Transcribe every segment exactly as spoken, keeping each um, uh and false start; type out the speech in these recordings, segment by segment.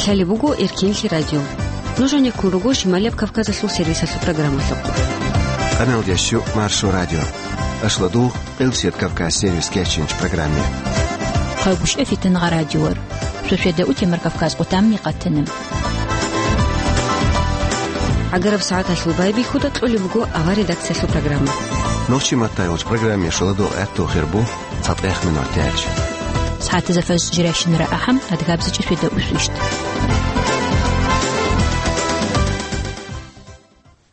Лъалеб буго Эркенлъи радио. Нуж гьанеккун руго Шималияб Кавказалъул сервисалъул программалъухъ. Къаналдящу Маршо радио. Ашладул Къилсият Кавказ сервис кечинч программе. Хъалгушев Фитангъа радиор. Суседа Утемар Кавказ къутамни къатана. ГӀагараб сагӀаталъул байбихьуда кьолеб буго авар редакциялъул программа. Нохчи маттайолч программе шаладул гӀатту хирбу цатӀех минор тяч. СагӀатазда фаз жиращинара ахӀам, адгабзичӀи суседа усвищт.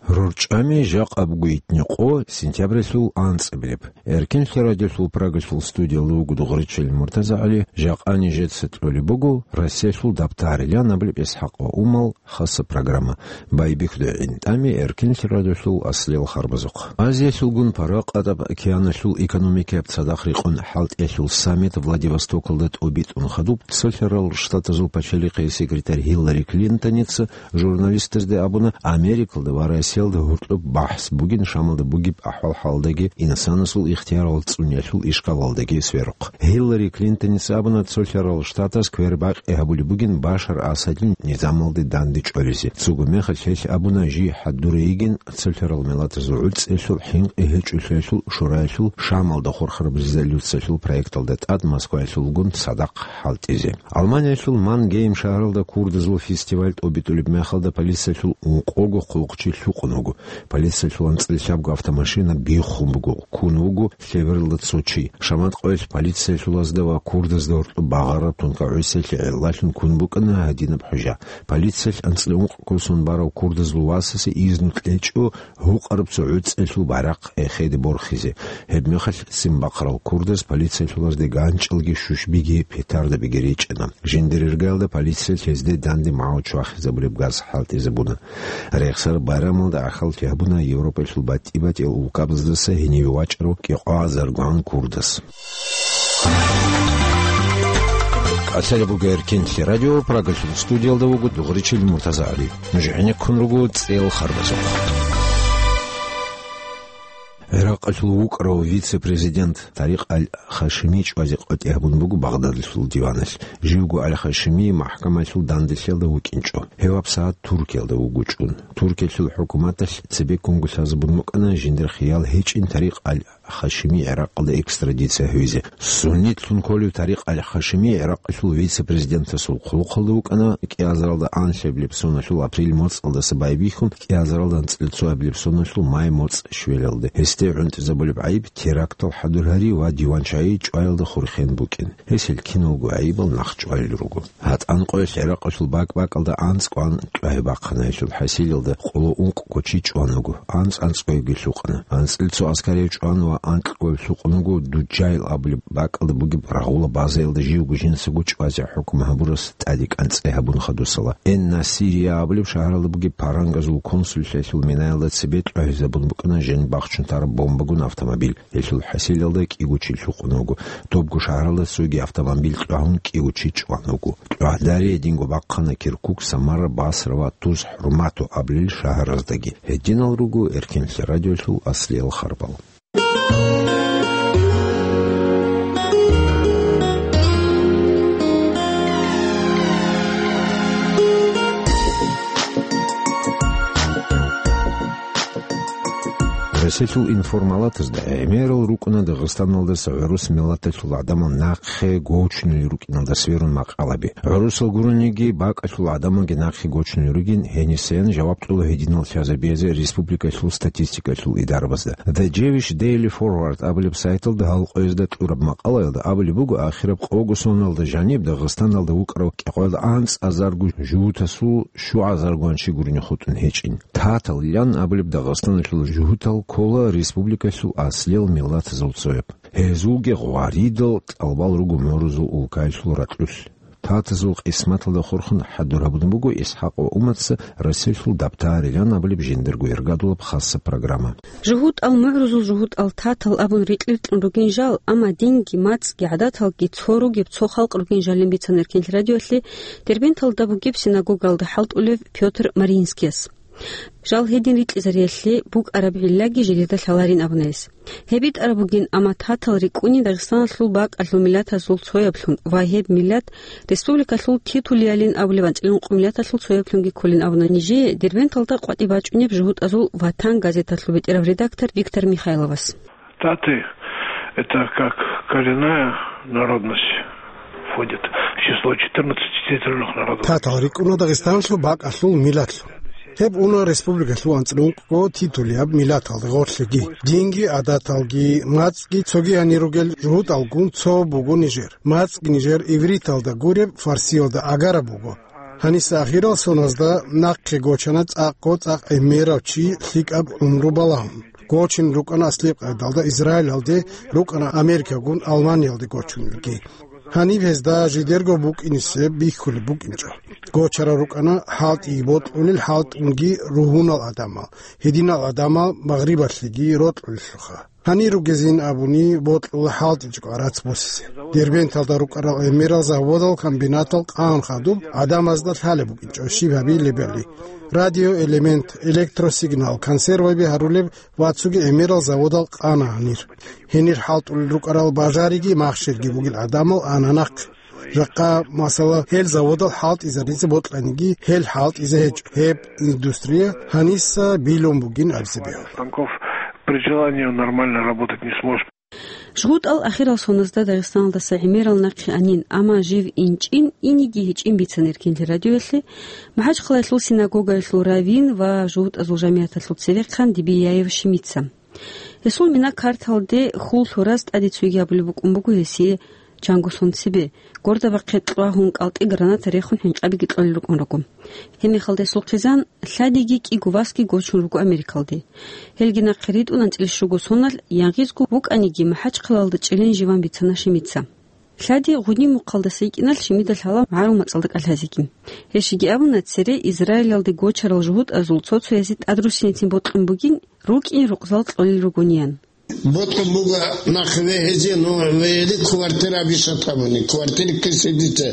РорчӀами жакъа буго итни къо, сентябралъул анцӀабилеб. Эркенлъи радиолъул Прагалъул студиялда вуго Дугъричил МуртазагӀали. Жакъа нижеца кьолеб буго Россиялъул дабтарилан абулеб ИсхӀакъ ва Умал хаса программа. Байбихьуда гӀинтӀами Эркенлъи радиолъул аслиял харбазухъ. Азиялъулгун Паракъатаб океаналъул экономикаяб цадахъ рекъон хӀалтӀиялъул саммит Владивостокалда тӀобитӀун хадуб, Цолъарал Штатазул пачалихъе секретарь Гьиллари Клинтоница журналистазде абуна, Америкалда ва Россиялда гьоркьоб бахӀс бугин Шамалда бугеб ахӀвал-хӀалалдаги, инсанасул ихтиярал цӀуниялъул ишкалалдаги сверухъ. Гьиллари Клинтоница абуна, Цолъарал Штатас квербакъи гьабулеб бугин Башар Асадил низамалде дандечӀолизе. Цого мехалъ гьелъ абуна, жий хӀадуре йигин, Цолъарал миллатазул гӀуцӀиялъул, хӀинкъи гьечӀолъиялъул шураялъул Шамалда хурхараб резолюциялъул проекталда тӀад Москваялъулгун цадахъ хӀалтӀизе. Алманиялъул Мангейм шагьаралда курдазул фестиваль тӀобитӀулеб мехалда полициялъул ункъого хъулухъчи лъукъун вуго. Полициялъул анцӀила лъабго автомашина биххун буго, ккун вуго лъебералда цо чи. Шамат къоялъ полициялъулазда ва курдазда гьоркьоб багъараб тункагӀусиялъе гӀиллалъун ккун букӀана гьадинаб хӀужа. Полициялъ анцӀила ункъ ккусун барав курдазул васасе изну кьечӀо гьукъараб цо гӀуцӀиялъул байрахъ эхеде борхизе. Гьебмехалъ ццин бахъарал курдаз полициялъулазде ганчӀалги щущбиги петардабиги речӀана. Жиндир иргаялда полициялъ гьезде данде магӀу чвахизабулеб газ хӀалтӀизабуна. Рехсараб байрамалда гӀахьаллъи гьабуна Европаялъул батӀи-батӀиял улкабаздаса гьениве вачӀарав кӀикъоазаргун курдас. Лъалеб буго Эркенлъи радио, Прагалъул студиялда вуго Дугъричил МуртазагӀали. Нуж гӀенеккун руго цӀел харбазухъ. ГӀиракъалъул вукӀарав вице-президент Тарикъ аль-Хашими чӀвазе къватӀиб гьабун буго Багъдадалъул диваналъ. Живго аль-Хашими махӀкамалъул данделъиялда вукӀинчӀо. Гьев гьабсагӀат Туркиялда вуго чӀун. Туркиялъул хӀукуматалъ цебеккунго лъазабун букӀана жиндир хиял гьечӀин Тарикъ аль-Хашими ГӀиракъалде экстрадиция гьавизе. Суннитлъун кколев Тарикъ аль-Хашими ГӀиракъалъул вице-президентасул хъулухъалда вукӀана кӀиазаралда анлъабилеб соналъул апрель моцӀалдаса байбихьун, кӀиазаралда анцӀила цоабилеб соналъул май моцӀ щвелалде. Гьесде гӀунтӀизабулеб гӀайиб терактал хӀадур гьари ва диван чагӀи чӀваялда хурхен букӀин. Гьес гьел киналго гӀайибал нахъчӀвалел руго. ГьатӀан къоялъ ГӀиракъалъул бакӀ-бакӀалда анцӀ кӀван кьвагьи бахъана, гьелъул хӀасилалда къоло ункъго чи чӀван вуго, анцӀ анцӀгоябги лъукъана. АнцӀила цо аскарияб чӀван ва анкьгояб лъукъун вуго Дуджайл абулеб бакӀалда бугеб рагъула базаялда живго жинцаго чӀвазе хӀукму гьабурас тӀаде кӀанцӀи гьабун хадусала. Эн-Насирия абулеб шагьаралда бугеб парангазул консуллъиялъул минаялда цебе кьвагьизабун букӀана жин бахчун тараб бомбагун автомобиль. Гьелъул хӀасилалда кӀиго чи лъукъун вуго. Добго шагьаралда цоги автомобиль кьвагьун кӀиго чи чӀван вуго. КьвагӀдарие динго бахъана Киркук, Самара, Басра ва Туз-ХӀурмату абулел шагьараздаги. Гьединал руго Эркенлъи радиолъул аслиял харбал. Россиялъул информалатазда гӀемерал рукӀуна Дагъистаналдаса гӀурус миллаталъул гӀадамал нахъе гочунел рукӀиналда сверун макъалаби. ГӀурусал гурониги, бакӀалъул гӀадамалги нахъе гочунел ругин, гьенисеян жаваб кьола гьединал лъазабизе республикалъул статистикалъул идарабазда. The Jewish Daily Forward абулеб сайталда гьал къоязда кьураб макъалаялда абулеб буго, ахираб къого соналда жаниб Дагъистаналда вукӀарав кӀикъоялда анцӀазарго жугьутасул щугӀазаргун чи гурони хутӀун гьечӀин. Татал ян абулеб Дагъистаналъул жугьутал ккола республикалъул аслиял миллатазул цояб. Гьезулги гъваридал тӀалабал руго мурузул улкаялъул ракьулъ. Татазул къисматалда хурхун хӀадур гьабун буго ИсхӀакъ ва Уматца Россиялъул дабтарилан абулеб жиндирго иргадулаб хасса программа. ЖугьутӀал мугӀрузул жугьутӀал татал абун рекьер кьун ругин жал, амма динги, мацӀги, гӀадаталги цо ругеб цо халкъ ругин жалин бицана Эркенлъи радиоялъе Дербенталда бугеб синагогалда хӀалтӀулев Пётр Мариинскияс. Жал гьедин рикьизариялъе букӀараб гӀиллаги жидеда лъаларин абуна гьес. Гьеб битӀараб бугин, амма татал рикӀкӀуни Дагъистаналъул бакӀалъул миллатазул цояблъун ва гьеб миллат республикалъул титулиялин абулеб анцӀила ункъо миллаталъул цояблъунги кколин абуна нижее Дербенталда къватӀиб бачӀунеб «ЖугьутӀазул ватан» газеталъул бетӀерав редактор Виктор Михайловас. Таты — это как коренная народность входит в число четырнадцати титульных народов. Татал рикӀкӀуна Дагъистаналъул бакӀалъул миллатлъун. Гьеб уна республикалъул анцӀила ункъо титулияб миллаталда гъорлъиги. Динги, гӀадаталги, мацӀги цоги гьанир ругел жугьутӀалгун цо буго нижер. МацӀги нижер ивриталда гуреб, фарсиялда агараб буго. Гьаниса ахирал соназда нахъе гочана цӀакъго цӀакъ гӀемерав чи лъикӀаб гӀумру балагьун. Гочин рукӀана аслияб къайдалда Израилалде, рукӀана Америкагун Алманиялде гочунилги. Гьаниб гьезда жидерго букӀинисеб бихьулеб букӀинчӀо. Гочарал рукӀана хӀалтӀиги бокьулел, хӀалтӀунги ругьунал гӀадамал, гьединал гӀадамал магърибалъеги рокьулелъулха. Гьанир ругезин абуни, бокьула хӀалтӀичӀого гӀарац босизе. Дербенталда рукӀарал гӀемерал заводал, комбинатал къан хадуб гӀадамазда лъалеб букӀинчӀо щиб гьабилебали. Радиоэлемент, электросигнал, консерваби гьарулеб ва цоги гӀемерал заводал къана гьанир. Гьенир хӀалтӀулел рукӀарал бажариги махщелги бугел гӀадамал ана нахъе. Жакъа, масала, гьел заводал хӀалтӀизаризе бокьаниги, гьел хӀалтӀизе гьечӀо. Гьеб индустрия гьаниса билун бугин абизе бегьула. Станков при желании он нормально работать не сможет. ЖугьутӀал ахирал соназда Дагъистаналдаса гӀемерал нахъе анин, амма жив инчӀин, иниги гьечӀин бицана Эркенлъи радиоялъе МахӀачхъалаялъул синагогаялъул раввин ва жугьутӀазул жамигӀаталъул цевехъан Дибияев Шимица. Гьесул мина карталде хьул лъураз тӀаде цойги абулеб букӀун буго гьесие чанго сон цебе, гордабахъе кьвагьун кӀалтӀи граната рехун хӀинкъабиги кьолел рукӀун руго. Гьебмехалда гьесул хъизан лъадиги кӀиго васги гочун руго Америкалде. Гьелги нахъе ритӀун анцӀила щуго соналъ, янгъизго вукӀаниги, МахӀачхъалаялда чӀилин живан бицана Шимица. Лъади гъудин мухъалдаса йикӀиналъ Шимида лъала магӀарул мацӀалда кӀалъазеги. Гьеб щиги абуна, цере Израилалде гочарал жугьутӀазул цо-цоязе тӀадруссинецин бокьун бугин, рукӀин рукъзал кьолел ругониян. Бокьун буго нахъе вегьизе, ну, вегьизе квартира бишат абуни, квартира кисе дица,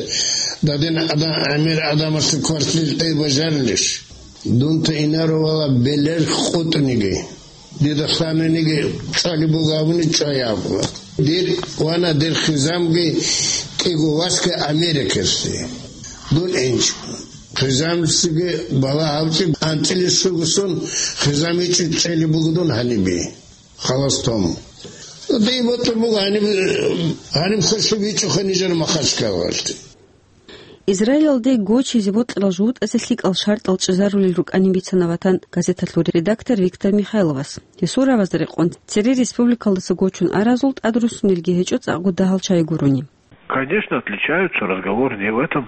дадин адам, гӀемер адамасда квартира тӀай бажарилищ? Дунта инарувала белер къутӀниги. Дида ханениги чӀвали буго абуни чӀвай абула. Дир вана дир хизамги кӀиго васги Америкалъе. Дун инч. Хизамцаги бала гьавчи анцӀила щуго сон хизам ичӀи чӀели буго дун гьаниби. Халас тому. Дей ботӀа буго гьаниб, гьаниб хасиб ичӀухъа нижер Махачкалалъе. Израилалде гочизе бокьарал жугьутӀазе лъикӀал шартӀал чӀезарулел рукӀанин бицана «Ватан» газеталъул редактор Виктор Михайловас. Гьесул рагӀабазда рекъон, цере республикалдаса гочун аразул тӀадруссунелги гьечӀо цӀакъго дагьал чагӀи гурони. Конечно, отличаются, разговор не в этом,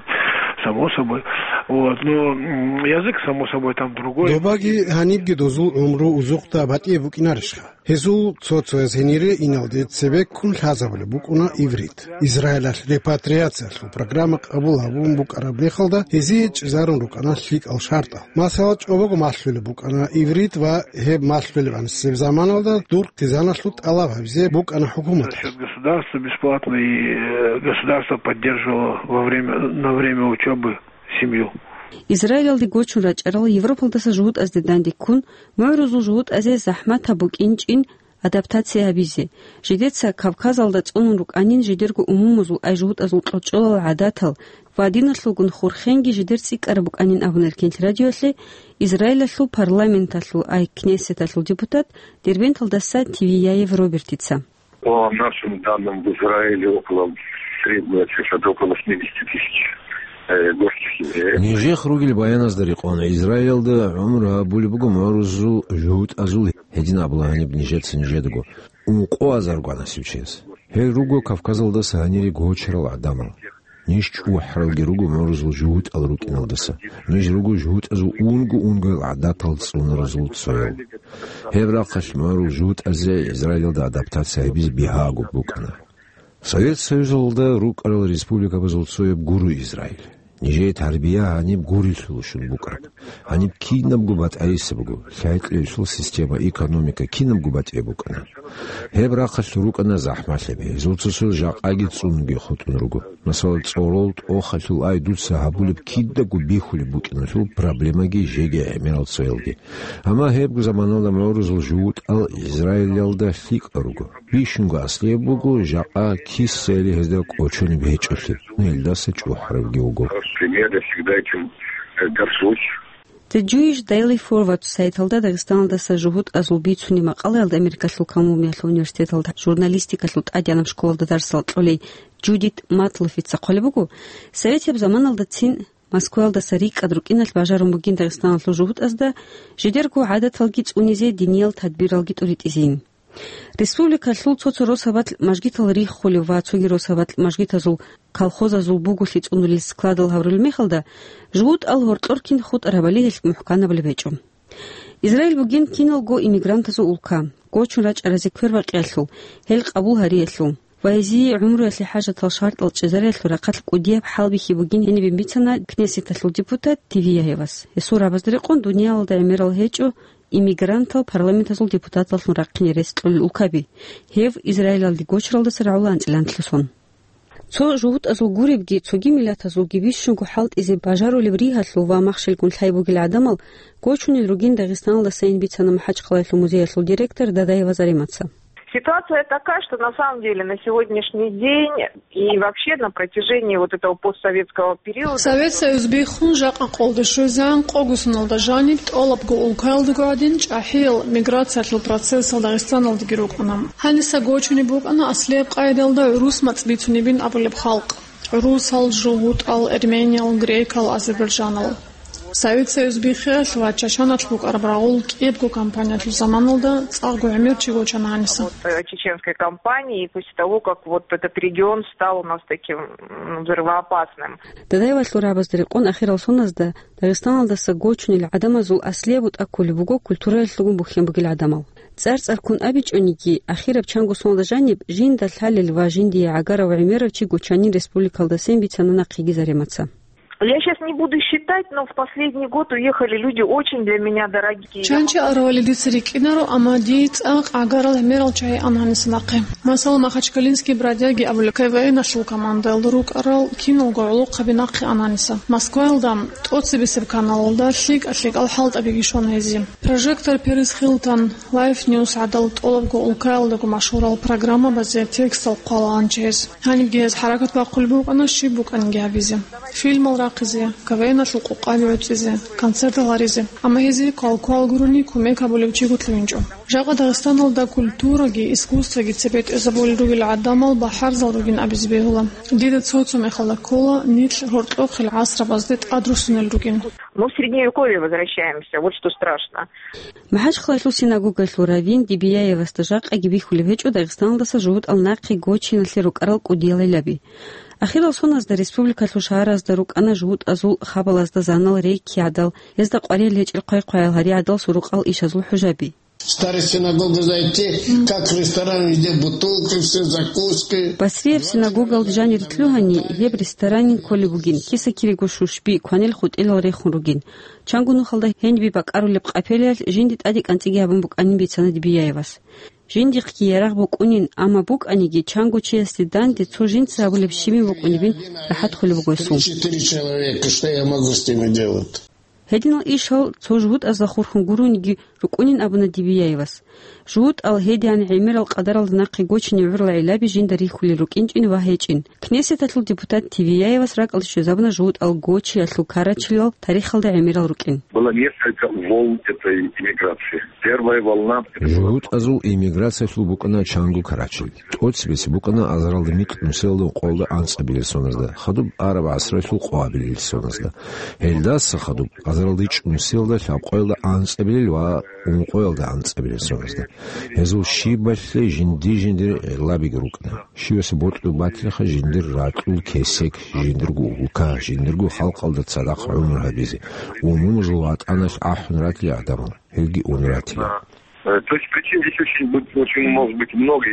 само собой. Вот, но, м, язык, само собой, там другой. Добаги гьанибги дозул гӀумру узухъда батӀияб букӀинарищха? Гьезул цо-цояз гьенире иналде цебеккун лъазабулеб букӀуна иврит. Израилалъ репатриациялъул программа къабул гьабун букӀараб мехалда, гьезие чӀезарун рукӀана лъикӀал шартӀал. Масала, чӀобого малъулеб букӀана иврит ва гьеб малъулеб анцӀаб заманалда дур хъизаналъул тӀалаб гьабизе букӀана хӀукуматалъ. Насчёт государства бесплатно, и, э, государство поддерживало во время, на время учёбы семью. Израилалде гочун рачӀарал Европалдаса жугьутӀазде данде ккун, мугӀрузул жугьутӀазе захӀматаб букӀинчӀин адаптация гьабизе. Жидеца Кавказалда цӀунун рукӀанин, жидерго умумузул ай жугьутӀазул кьочӀолал гӀадатал ва диналъулгун хурхенги жидер цӀикӀкӀараб букӀанин абуна Эркенлъи радиоялъе Израилалъул парламенталъул ай Кнессеталъул депутат Дербенталдаса Тивияев Робертица. По нашим данным, в Израиле около, средняя цифра, это около восьмидесяти тысяч, э, государственных. Нижех ругел баяназда рекъон, Израилалда гӀумру гьабулеб буго мугӀрузул жугьутӀазул, гьедин абула гьаниб нижеца нижедаго, ункъо азарго насиб чияс. Гьел руго Кавказалдаса гьанире гочарал гӀадамал. Ниж чӀухӀаралги руго мугӀрузул жугьутӀал рукӀиналдаса. Ниж руго жугьутӀазул унго-унгоял гӀадатал цӀунаразул цоял. Гьеб рахъалъ мугӀрул жугьутӀазе Израилалда адаптация гьабизе бигьаго букӀана. Совет Союзалда рукӀарал республикабазул цояб гуро Израиль. Нижее тарбия гьаниб гурелъулищун букӀана. Гьаниб кинабго батӀайиса буго, лъай-кьейсул система, экономика кинабго батӀияб букӀана. Гьеб рахъалъур рукӀана захӀмалъаби, гьезул цо-цо жакъаги цӀунги хутӀун руго. Масала, цӀорол тӀохалъул ай дуца гьабулеб кидаго бихьулеб букӀиналъул проблемаги жеги гӀемерал цоялги. Амма гьебго заманалда мугӀрузул жугьутӀал Израилалда лъикӀал руго. Бищунго аслияб буго, жакъа кисайили гьезда кӀочонеб гьечӀолъи, гьелдаса чӀухӀарабги вуго. Хороший пример, я всегда этим, э, горжусь. The Jewish Daily Forward сайталда Дагъистаналдаса жугьутӀазул бицунеб макъалаялда Америкалъул Колумбиялъул университеталда журналистикалъул тӀадегӀанаб школалда дарсал кьолей Джудит Матлофица хъвалеб буго, советияб заманалдацин Москваялдаса рикӀкӀад рукӀиналъ бажарун бугин Дагъистаналъул жугьутӀазда жидерго гӀадаталги цӀунизе, диниял тадбиралги тӀуритӀизейин. Республикалъул цо-цо росабалъ мажгитал риххулев ва цоги росабалъ мажгитазул, колхозазул буголъи цӀунулел складал гьаврулеб мехалда, жугьутӀал гьоркьор кин хутӀарабали гьелъ мухӀканабулеб гьечӀо. Израиль бугин киналго иммигрантазул улка. Гочун рачӀаразе квербакъиялъул, гьел къабул гьариялъул ва гьезие гӀумруялъе хӀажатал шартӀал чӀезариялъул рахъалъ кӀудияб хӀалбихьи бугин гьенибе бицана Кнессеталъул депутат Тивияевас. Гьесул рагӀабазда рекъон дуниялалда гӀемерал гьечӀо иммигрантал парламентазул депутаталлъун рахъине рес кьолел улкаби, гьев Израилалде гочаралдаса рагӀула анцӀила анлъго сон. Цо жугьутӀазул гуребги, цоги миллатазулги бищунго хӀалтӀизе бажарулеб ригьалъул ва махщелгун лъай бугел гӀадамал гочунел ругин Дагъистаналдасайин бицана МахӀачхъалаялъул музеялъул директор Дадаева Заремаца. Ситуация такая, что на самом деле на сегодняшний день и вообще на протяжении вот этого постсоветского периода... Совет Союз биххун жакъа къолде щвезегӀан къогосуналда жаниб тӀолабго улкаялдаго гӀадин чӀахӀиял миграциялъул процессал Дагъистаналдаги рукӀана. Гьаниса гочунеб букӀана аслияб къайдалда гӀурус мацӀ бицунебин абулеб халкъ. ГӀурусал, жугьутӀал, эрмениял, грекал, азербайджанал. Совет Союз биххиялъ ва Чачаналъ букӀараб рагъул кӀиябго кампаниялъул заманалда цӀакъго гӀемер чи гочана гьаниса. Вот, э, чеченской кампании, и после того, как вот этот регион стал у нас таким, м, взрывоопасным. Дадаевалъул рагӀабазда рекъон ахирал соназда Дагъистаналдаса гочунел гӀадамазул аслияб бутӀа кколеб буго культураялъулгун бухьен бугел гӀадамал. ЦӀар-цӀарккун абичӀониги, ахираб чанго соналда жаниб жинда лъалел ва жиндие гӀагарав гӀемерав чи гочанин республикалдасайин бицана нахъеги Заремаца. Я щас не буду считать, но в последний год уехали люди очень для меня дорогие. Чанчи аравали дица рикӀкӀинаро, амма дие цӀакъ гӀагарал гӀемерал чагӀи ана гьаниса нахъе. Масала, Махачкалинские бродяги абулеб КВН-алъул командаялда рукӀарал киналго гӀолохъаби нахъе ана гьаниса. Москваялда тӀоцебесеб каналалда лъикӀа-лъикӀал хӀалтӀабиги щвана гьезие. Прожектор, Перес Хилтон, Лайф Ньюс гӀадал тӀолабго улкаялдаго машгьурал программабазе текстал хъвалаан чияс. Гьанибги гьез хӀаракат бахъулеб букӀана щиб букӀаниги гьабизе. Фильмал рахъизе, КВН-алъул къокъаби гӀуцӀизе, концертал гьаризе. Амма гьезие квал-квал гурони кумек гьабулев чиго лъугьинчӀо. Жакъа Дагъистаналда культураги искусствоги цебе тӀезабулел ругел гӀадамал бахӀарзал ругин абизе бегьула. Дида цо-цо мехалда ккола нилъ гьоркьохъел гӀасрабазде тӀадрусунел ругин. Мы в средневековье возвращаемся, вот что страшно. МахӀачхъалаялъул синагогаялъул раввин Дибияевасда жакъаги бихьулеб гьечӀо Дагъистаналдаса жугьутӀал нахъе гочиналъе рукӀарал кӀудиял гӀиллаби. Ахирал соназда республикалъул шагьаразда рукӀана жугьутӀазул хабалазда занал рейки гӀадал, гьезда къваригӀел гьечӀел хъвай-хъваял гьари гӀадал сурукъал ишазул хӀужаби. Старая синагога зайти, как ресторан, везде бутылки, все закуски. Басрияб синагогалда жанир лъугьани, гьеб ресторанин кколеб бугин, киса-кирего шушби, кванел хутӀилал рехун ругин. Чанго нухалда гьенибе бакӀарулеб къапелиялъ жинди тӀаде кӀанцӀиги гьабун букӀанин бицана Дибияевас. Жиндихъги ярагъ букӀунин, амма букӀаниги чанго чиясде данде цо жинца гьабулеб щибин букӀунебин рахӀат хъулеб буго гьесул. Четыре человека, что я могу с ними делать? Гьединал ишал цо жугьутӀазда хурхун гурониги рукӀунин абуна Дибияевас. ЖугьутӀал гьедигӀан гӀемерал къадаралда нахъе гочине гӀурал гӀиллаби жинда рихьулел рукӀинчӀин ва гьечӀин. Кнессеталъул депутат Тивияевас ракӀалде щвезабуна жугьутӀал гочиялъул карачилал тарихалда гӀемерал рукӀин. Было несколько волн этой иммиграции. Первая волна — это была... ЖугьутӀазул иммиграциялъул букӀана чанго карачил. ТӀоцебесеб букӀана азаралда микь нусиялда ункъоялда анцӀабилел соназда, хадуб араб гӀасралъул къоабилел соназда. Гьелдаса хадуб азаралда ичӀнусиялда лъабкъоялда анцӀабилел ва ункъоялда анцӀабилел соназда. Гьезул щибалъе жинди-жиндир гӀиллабиги рукӀана. Щиваса бокьулеб батилаха жиндир ракьул кесек, жиндирго улка, жиндирго халкъалда цадахъ гӀумру гьабизе, умумузул ватӀаналъ ахӀун ратила гӀадамал, гьелги ун ратила. Э, то есть причин здесь очень быть, очень может быть много.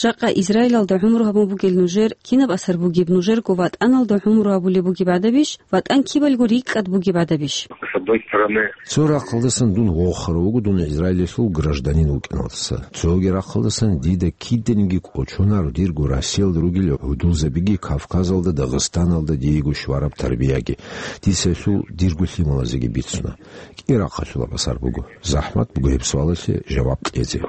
Жакъа Израилалда гӀумру гьабун бугел нужер кинаб асар бугеб, нужерго ватӀаналда гӀумру гьабулеб бугеб гӀадабищ, ватӀан кибалго рикӀкӀад бугеб гӀадабищ? С одной стороны, цо рахъалдасан дун вохарав вуго дун Израилалъул гражданин вукӀиналдаса. Цоги рахъалдасан дида киданиги кӀочонаро дирго Россиялда ругел гӀудулзабиги Кавказалда, Дагъистаналда диего щвараб тарбияги. Дица гьелъул дирго лъималазеги бицуна. КӀи рахъалъулаб асар буго. ЗахӀмат буго гьеб суалалъе жаваб кьезе.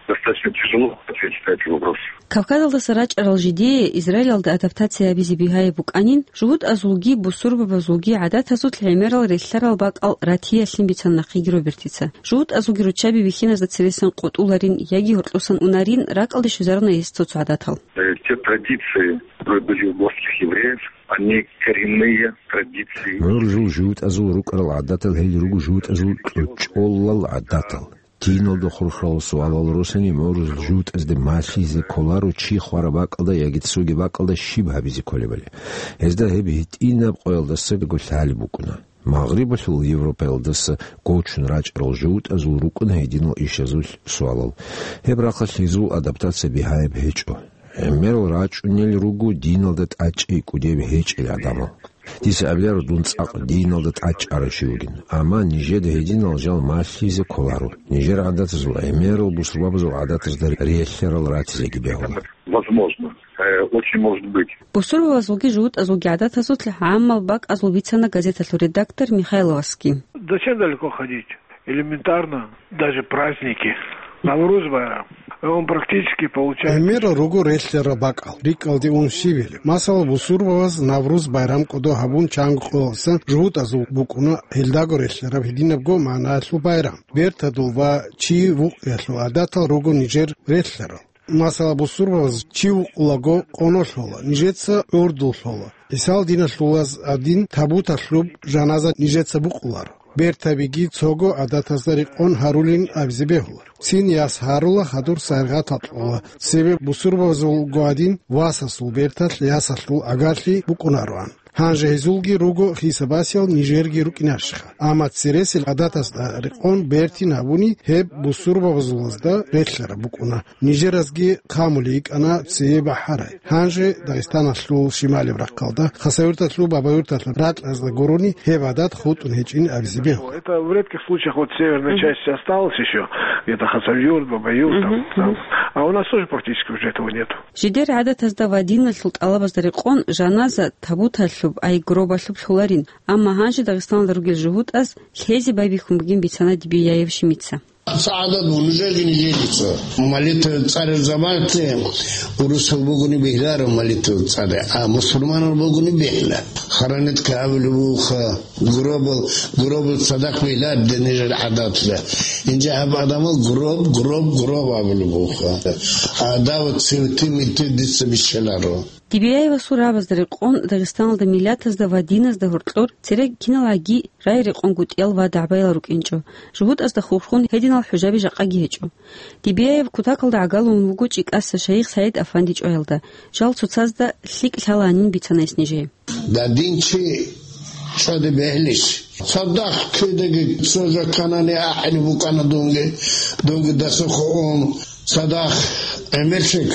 Достаточно тяжело ответить на этот вопрос. Кавказалдаса рачӀарал жидее Израилалда адаптация гьабизе бигьаяб букӀанин, жугьутӀазулги бусурбабазулги гӀадатазулъ гӀемерал релълъарал бакӀал ратиялъин бицана нахъеги Робертица. ЖугьутӀазулги руччаби бихьиназда цересан къотӀуларин яги гьоркьосан унарин, ракӀалде щвезаруна гьес цо-цо гӀадатал. Э, те традиции, которые были у горских евреев, они коренные традиции. ГӀуржул жугьутӀазул рукӀарал гӀадатал гьел руго жугьутӀазул кьучӀолал гӀадатал. Диналда хурхарал суалал росани гӀуржул жугьутӀазде малъизе кколаро чи хвараб бакӀалда яги цоги бакӀалда щиб гьабизе кколебали. Гьезда гьеб гьитӀинаб къоялдасаго лъалеб букӀуна. Магърибалъул Европаялдаса гочун рачӀарал жугьутӀазул рукӀуна гьединал ишазул суалал. Гьеб рахъалъ гьезул адаптация бигьаяб гьечӀо. ГӀемерал рачӀунел руго диналда тӀачӀи кӀудияб гьечӀел гӀадамал. Дица абиларо дун цӀакъ диналда тӀачӀарав чи вугин. Амма нижеда гьединал жал малъизе кколаро. Нижер гӀадатазул, гӀемерал бусурбабазул гӀадатазда релълъарал ратизеги бегьула. Возможно. Э, очень может быть. Бусурбабазулги жугьутӀазулги гӀадатазулъ гӀаммал бакӀазул бицана газеталъул редактор Михайловасги. Зачем далеко ходить? Элементарно, даже праздники. Навруз байрам. Он практически получается. ГӀемерал руго релълъарал бакӀал, рикӀкӀалде ун щибили. Масала, бусурбабаз Навруз байрам кӀодо гьабун чанго къоялдасан жугьутӀазул букӀуна гьелдаго релълъараб гьединабго магӀнаялъул байрам. Бертадул ва чи вукъиялъул гӀадатал руго нижер релълъарал. Масала, бусурбабаз чи вукъулаго къоно лъола, нижеца гӀурдул лъола. ГӀисал диналъулаз гӀадин табуталъуб жаназа нижеца букъуларо. Бертабиги цого гӀадатазда рекъон гьарулин абизе бегьуларо. Цин яс гьарула, хадур сайгъатал кьола, цебе бусурбабазулго гӀадин васасул берталъ ясалъул гӀагарлъи букӀунароан. Гьанже гьезулги руго хисабасел нижерги рукӀинарищха. Амма цересел гӀадатазда рекъон бертин гьабуни гьеб бусурбабазулазда релълъараб букӀуна. Нижеразги хъамулей йикӀана цее бахӀарай. Гьанже Дагъистаналъул шималеб рахъалда, Хасавюрталъул Бабаюрталъа ракьазда гурони гьеб гӀадат хутӀун гьечӀин абизе бегьула. Это в редких случаях вот северная часть осталась ещё, где-то Хасавюрт, Бабаюрт, там, там. А у нас тоже практически уже этого нету. Жидер гӀадатазда ва диналъул тӀалабазда рекъон жаназа табуталъуб, ай гробалъуб лъоларин, амма гьанже Дагъистаналда ругел жугьутӀаз лъезе байбихьун бугин бицана Дибияев Шимица. СагӀадат бу нужеги нижерица. Молитва цӀарел заманалъе урусал бугони бегьларо молитва цӀаре, а мусульманал бугони бегьла. Хоронить кабулеб буха. Гробал, гробал цадахъ бегьлар, динижер гӀадатла. Инже гьаб адамал гроб, гроб, гроб абулеб буха. А дав цинти-минти дица биччаларо. Дибияевасул рагӀабазда рекъон Дагъистаналда миллатазда ва диназда гьоркьор цере киналгӀаги рагӀи-рекъон гутӀиял ва дагӀбаял рукӀинчӀо. ЖугьутӀазда хурхун гьединал хӀужаби жакъаги гьечӀо. Дибияев кутакалда гӀагалун вуго ЧӀикӀаса шайих СагӀид-афанди чӀваялда, жал цоцазда лъикӀ лъаланин бицана гьес нижее. Дадин чи чӀваде бегьлищ? Цадахъ кидаги цо жаканани ахӀи букӀана дунги, дунги дасухъ ун цадахъ гӀемерлъи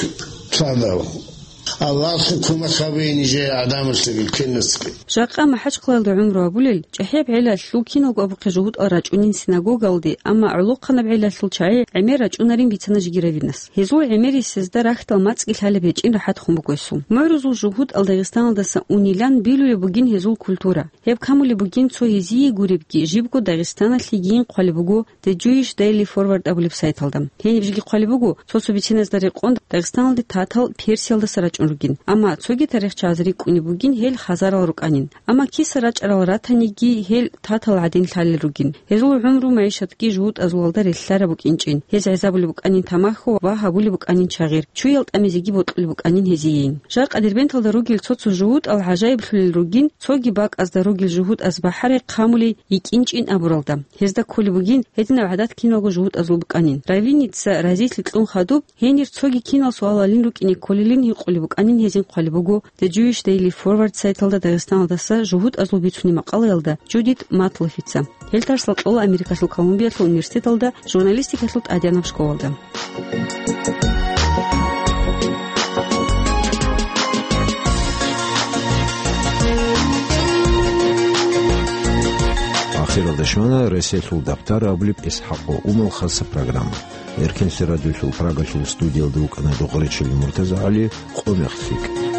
цадав. Аллагьасул кумек гьабе нижее гӀадамаздаги киназги. Жакъа МахӀачхъалаялда гӀумру гьабулел, чӀахӀияб гӀелалъул киналго абухъе жугьутӀал рачӀунин синагогалде, амма гӀолохъанаб гӀелалъул чагӀи гӀемер рачӀунарин бицана жиги равинас. Гьезул гӀемерисезда рахьдал мацӀги лъалеб гьечӀин рахӀат хун буго гьесул. МугӀрузул жугьутӀал Дагъистаналдаса унилан билулеб бугин гьезул культура. Гьеб камулеб бугин цо гьезие гуребги, жибго Дагъистаналъе гьайин хъвалеб буго The Jewish Daily Forward абулеб сайталда. Гьениб жеги хъвалеб буго, цо-цо бициназда рекъон Дагъистаналде татал Персиялдаса рачӀун ругин. Амма цоги тарихчияз рикӀкӀунеб бугин гьел хазарал рукӀанин. Амма киса рачӀарал ратаниги гьел татал гӀадин лъалел ругин. Гьезул гӀумру-магӀишатги жугьутӀазулалда релълъараб букӀинчӀин. Гьез гӀезабулеб букӀанин тамахьу ва гьабулеб букӀанин чагъир. Чуял тӀамизеги бокьулеб букӀанин гьезиейин. Жакъа Дербенталда ругел цо-цо жугьутӀал гӀажаиблъулел ругин, цоги бакӀазда ругел жугьутӀаз бахӀарай хъамулей йикӀинчӀин абуралда. Гьезда кколеб бугин гьединаб гӀадат киналго жугьутӀазул букӀанин. Равиница разилъи кьун хадуб, гьенир цоги кинал суалалин рукӀине кколилин гьикъулеб букӀанин гьезин хъвалеб буго The Jewish Daily Forward сайталда Дагъистаналдаса жугьутӀазул бицунеб макъалаялда Джудит Матлофица. Гьел тарсал кьола Америкалъул Колумбиялъул университеталда журналистикалъул тӀадегӀанаб школалда. Щвана «Реселъул дабтар» абулеб ИсхӀакъ Умал хаса программа. Эркенлъи радиолъул Прагалъул студиялда вукӀана Догъречил МуртазагӀали. Къо мехлъи.